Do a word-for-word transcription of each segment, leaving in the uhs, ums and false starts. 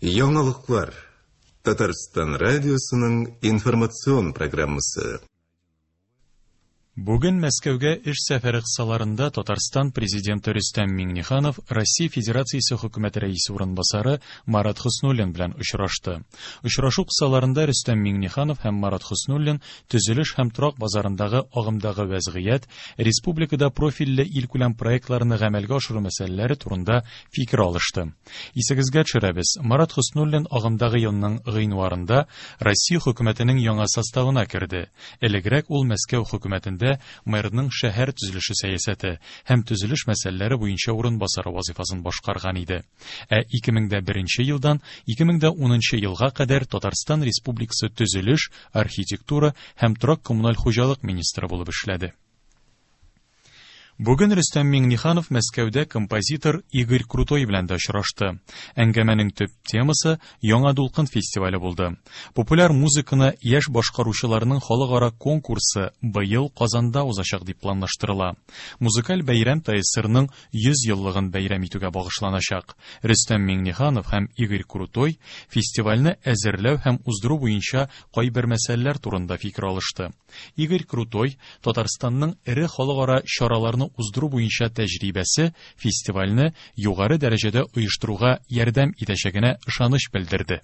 Яңалыклар. Татарстан радиосының информацион программасы. Бүген Мәскәүгә эш сәфәре кысаларында Татарстан президенты Рөстәм Миңнеханов Россия Федерациясе хөкүмәте рәисе урынбасары Марат Хөснуллин белән очрашты. Очрашу кысаларында Рөстәм Миңнеханов һәм Марат Хөснуллин төзелеш һәм торак базарындагы агымдагы вәзгыять, республикада профильле илкүләм проектларны гамәлгә ашыру мәсьәләләре турында фикер алышты. Исегезгә төшерәбез, Марат Хөснуллин агымдагы елның гыйнварында Россия хөкүмәтенең яңа составына керде. Элегрәк ул Мәскәү хөкүмәтендә мэрның шәһәр төзелеше сәясәте һәм төзелеш мәсьәләләре буенча урынбасары вазифасын башкарган иде. Ә ике мең дә беренче елдан ике мең дә унынчы елга кадәр Татарстан Республикасы төзелеш, архитектура һәм торак коммуналь хуҗалык министры булып эшләде. Бүген Рөстәм Миңнеханов Мәскәүдә композитор Игорь Крутой белән дә очрашты. Әңгәмәнең төп темасы Яңа дулкын фестивале булды. Популяр музыканы яшь башкаручыларның халыкара конкурсы быел Казанда узачак дип планлаштырыла. Музыкаль бәйрәм ТАССРның йөз еллыгын бәйрәм итүгә багышланачак. Рөстәм Миңнеханов һәм Игорь Крутой фестивальне әзерләү һәм уздыру буенча кайбер мәсьәләләр турында фикер алышты. Игорь Крутой Татарстанның эре халыкара чараларны уздыру буенча тәҗрибәсе фестивальне югары дәрәҗәдә оештыруга ярдәм итәчәгенә ышаныч белдерде.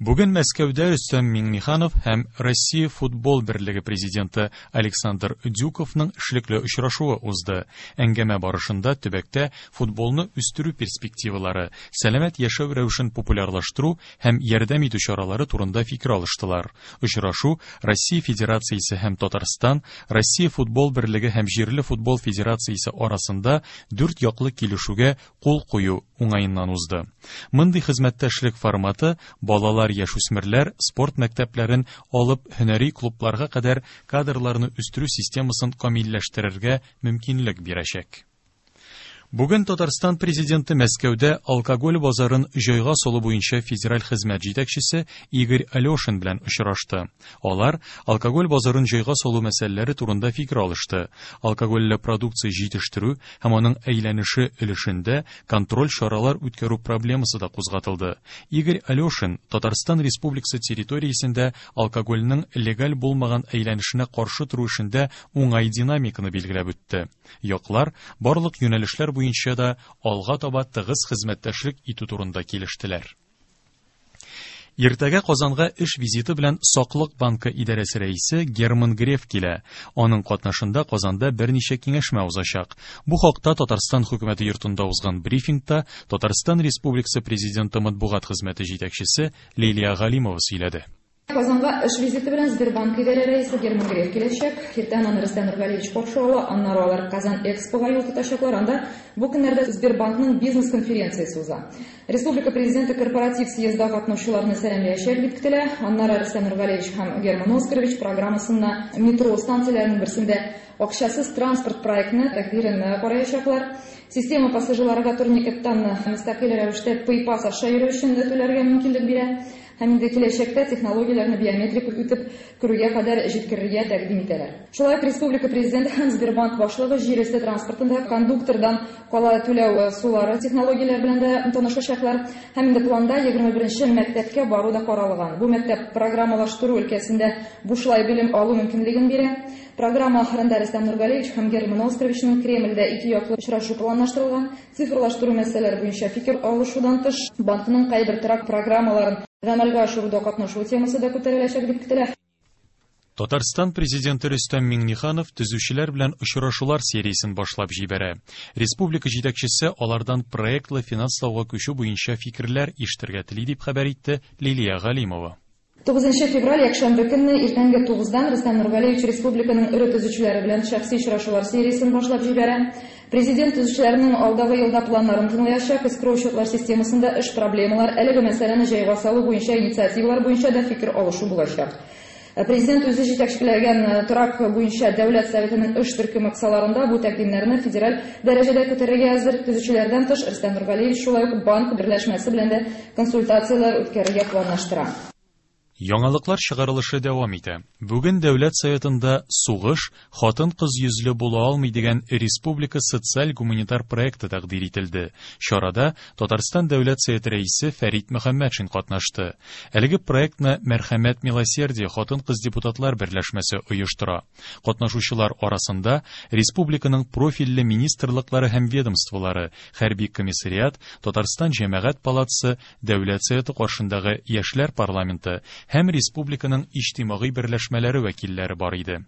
Бүген Мәскәүдә Рөстәм Миңнеханов һәм Россия футбол берлеге президенты Александр Дюковның эшлекле очрашуы узды. Әңгәмә барышында төбәктә футболны үстерү перспективалары, сәламәт яшәү рәвешен популярлаштыру һәм ярдәм итү чаралары турында фикер алыштылар. Очрашу Россия Федерациясе һәм Татарстан, Россия футбол берлеге һәм җирле футбол федерациясе арасында дүрт яклы килешүгә кул кую уңаеннан узды. Мондый хезмәттәшлек форматы балалар, яшүсмерләр спорт мәктәпләрен алып һөнәри клубларга кадәр кадрларны үстерү системасын камилләштерергә мөмкинлек бирәчәк. Бүген Татарстан президенты Мәскәүдә алкоголь базарын җайга салу буенча федераль хезмәт җитәкчесе Игорь Алешин белән очрашты. Алар алкоголь базарын җайга салу мәсьәләләре турында фикер алышты. Алкогольле продукция җитештерү һәм аның әйләнеше өлешендә контроль чаралар үткәрү проблемасы да кузгатылды. Игорь Алешин Татарстан Республикасы территориясендә алкогольнең легаль булмаган әйләнешенә каршы тору эшендә уңай динамиканы билгеләп үтте. Яклар барлык юнәлешләр буенча да алга таба тыгыз хезмәттәшлек итү турында килештеләр. Иртәгә Казанга эш визиты белән Саклык банкы идарәсе рәисе Герман Греф килә. Аның катнашында Казанда берничә киңәшмә узачак. Бу хакта Татарстан хөкүмәте йортында узган брифингта Татарстан Республикасы президенты матбугат хезмәте җитәкчесе Лилия Галимова сөйләде. Казанга эш визиты белән Сбербанк идарә рәисе Герман Греф киләчәк. Иртән аны Рөстәм Нургалиевич каршы ала, аннары алар Казан Экспога юл тотачаклар. Анда бу көннәрдә Сбербанкның бизнес-конференциясе уза. Республика президенты корпоратив съездда катнашучыларны сәламләячәк дип көтелә. Аннары Рөстәм Нургалиевич һәм Герман Оскарович программасына метро станцияләренең берсендә акчасыз транспорт проектны тәкъдирен караячаклар. Система пассажирларга турникеттан мөстәкыйль рәвештә PayPass аша йөрү өчен түләргә мөмкинлек бирә. Һәм инде киләчәктә технологияләрне биометрик үтеп керүгә кадәр җиткерергә тәкъдим итәләр. Шулай ук республика президенты һәм Сбербанк башлыгы җир өсте транспортында кондуктордан кала түләү сулары технологияләр белән дә танышачаклар. Һәм инде планда егерме беренче мәктәпкә бару да каралган. Бу мәктәп программалаштыру өлкәсендә бушлай белем алу мөмкинлеген бирә. Программа ахырында Рөстәм Нургалиевич һәм Герман Оскаровичның Кремльдә ике яклы очрашу планлаштырылган. Цифрлаштыру мәсьәләләре буенча фикер алышудан тыш, банкның кайбер торак программаларын гамәлгә ашыруда катнашу темасы да күтәреләчәк дип көтелә. Татарстан президенты Рөстәм Миңнеханов төзүчеләр белән очрашулар сериясен башлап җибәрә. Республика җитәкчесе алардан проектлы финанслауга күчү буенча фикерләр ишетергә тели дип хәбәр итте Лилия Галимова. Тугызынчы февраль якшәмбе көнне иртәнге тугыздан Рөстәм Нургалиевич республиканың эре төзүчеләре белән шәхси очрашулар сериясен башлап җибәрә. Президент төзүчеләрнең алдагы елда планнарын тыңлаячак, эскроу счетлар системасында эш проблемалар, әлеге мәсьәләне җайга салу буенча инициативалар буенча да фикер алышу булачак. Президент үзе җитәкчеләгән торак буенча Дәүләт Советының эш төркеме кысаларында бу тәкъдимнәрне федераль дәрәҗәдә күтәрергә әзер. Төзүчеләрдән тыш Рөстәм Нургалиевич шулай ук банк берләшмәсе белән дә консультацияләр үткәрергә планлаштыра. Яңалыклар чыгарылышы дәвам итә. Бүген Дәүләт Советында «Сугыш хатын-кыз йөзле була алмый» дигән республика социаль-гуманитар проекты тәкъдир ителде. Чарада Татарстан Дәүләт Советы рәисе Фәрит Мөхәммәтшин катнашты. Әлеге проектны Мәрхәмәт Милосердие хатын-кыз депутатлар берләшмәсе оештыра. Катнашучылар арасында республиканың профильле министрлыклары һәм ведомстволары, хәрби комиссариат, Татарстан Җәмәгать палатасы, Дәүләт Советы каршындагы Яшьләр парламенты һәм республиканың иҗтимагый берләшмәләре вәкилләре бар иде.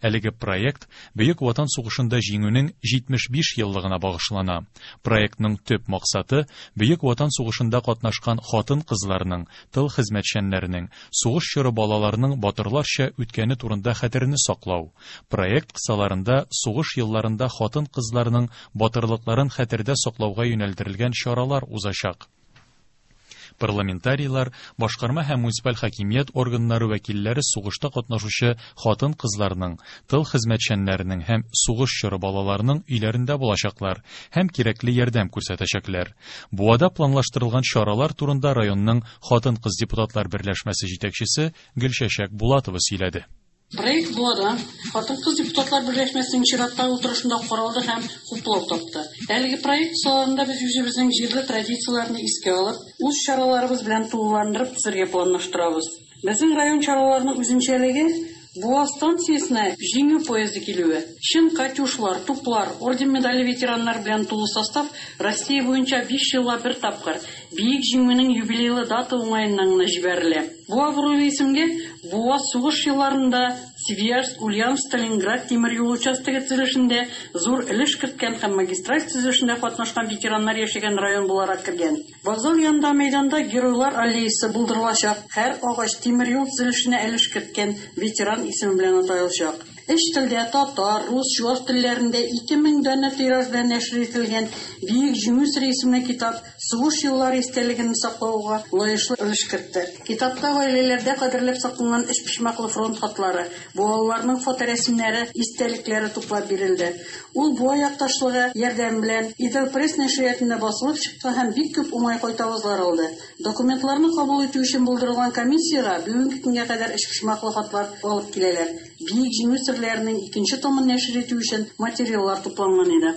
Әлеге проект Бөек Ватан сугышында җиңүнең җитмеш биш еллыгына багышлана. Проектның төп максаты Бөек Ватан сугышында катнашкан хатын-кызларның, тыл хезмәтчәннәренең, сугыш чоры балаларының батырларча үткәне турында хәтерне саклау. Проект кысаларында сугыш елларында хатын-кызларның батырлыкларын хәтердә саклауга юнәлдерелгән чаралар узачак. Парламентарийлар, башкарма һәм муниципаль хакимият органнары вәкилләре сугышта катнашучы хатын-кызларның, тыл хезмәтчәннәренең һәм сугыш чоры балаларының өйләрендә булачаклар һәм кирәкле ярдәм күрсәтәчәкләр. Буада планлаштырылган чаралар турында районның хатын-кыз депутатлар берләшмәсе җитәкчесе Гөлчәчәк Булатова сөйләде. Проект Буада хатын-кыз депутатлар берләшмәсенең чираттагы утырышында каралды һәм хуплау тапты. Әлеге проект кысаларында без үзебезнең җирле традицияләрне искә алып, үз чараларыбыз белән тулыландырып төзергә планлаштырабыз. Безнең район чараларының үзенчәлеге Буа станциясенә җиңү поезды килүе. Чын катюшлар, туплар, орден медале ветераннар белән тулы состав Россия буенча биш елга бер тапкыр Бөек Җиңүнең юбилейлы дата уңаеннан гына җибәрелә. Буа буруйлы исемгә Буа сугыш елларында Свияжск, Ульяновск, Сталинград тимер юлы участогы төзелешендә зур өлеш керткән һәм магистраль төзелешендә катнашкан ветераннар яшәгән район буларак кергән. Вокзал янында мәйданда геройлар аллеясы булдырылачак. Һәр агач тимер юл төзелешенә өлеш керткән ветеран исеме белән аталачак. Өч телдә татар, рус, чуаш телләрендә ике мең данә тираж белән нәшер ителгән Бөек Җиңү сере исемле китап сугыш еллары истәлеген саклауга лаеклы өлеш кертте. Китапта гаиләләрдә кадерләп сакланган өч почмаклы фронт хатлары, буалыларның фоторәсемнәре, истәлекләре туплап бирелде. Ул Буа якташлыгы ярдәме белән Идел пресс нәшриятында басылып чыкты һәм бик күп уңай кайтавазлар алды. Документларны кабул итү өчен булдырылган комиссиягә бүгенге көнгә кадәр өч почмаклы хатлар алып киләләр. Бөек Җиңү серләренең икенче томын нәшер итү өчен материаллар тупланган иде.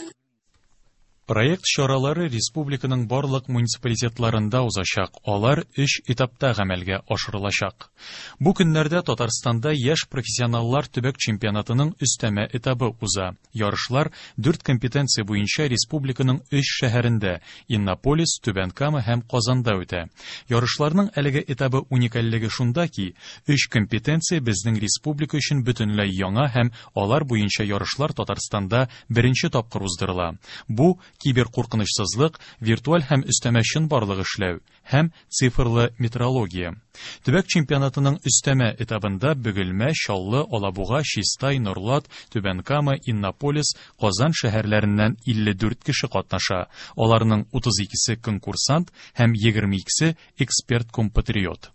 Проект чаралары республиканың барлык муниципалитетларында узачак. Алар өч этапта гамәлгә ашырылачак. Бу көннәрдә Татарстанда яшь профессионаллар төбәк чемпионатының өстәмә этабы уза. Ярышлар дүрт компетенция буенча республиканың өч шәһәрендә Иннополис, Түбән Кама һәм Казанда үтә. Ярышларның әлеге этабы уникальлеге шунда ки, өч компетенция безнең республика өчен бөтенләй яңа һәм алар буенча ярышлар Татарстанда беренче тапкыр уздырыла. Бу киберкуркынычсызлык, виртуаль һәм өстәмә чынбарлык эшләү һәм цифрлы метрология. Төбәк чемпионатының өстәмә этабында Бөгелмә, Чаллы, Алабуга, Чистай, Нурлат, Түбән Кама, Иннополис, Казан шәһәрләреннән илле дүрт кеше катнаша. Аларның утыз икесе конкурсант һәм егерме икесе эксперт-компатриот.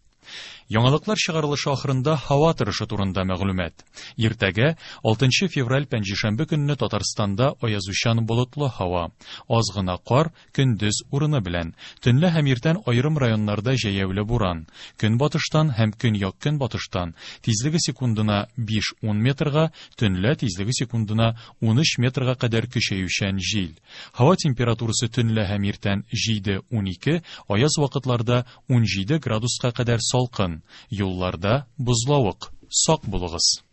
Яңалыклар чыгарылышы ахырында һава торышы турында мәгълүмат. Иртәгә алтынчы февраль пәнҗешәмбе көнне Татарстанда аязучан болытлы һава. Аз гына кар, көндез урыны белән. Төнлә һәм иртән аерым районнарда җәяүле буран. Көнбатыштан һәм көньяк-көнбатыштан тизлеге секундына биш-ун метрга, төнлә тизлеге секундына унөч метрга кадәр көчәючән җил. Һава температурасы төнлә һәм иртән җиде-ун ике, аяз вакытларда ун җиде градуска кадәр салкын. Юлларда бозлавык. Сак булыгыз.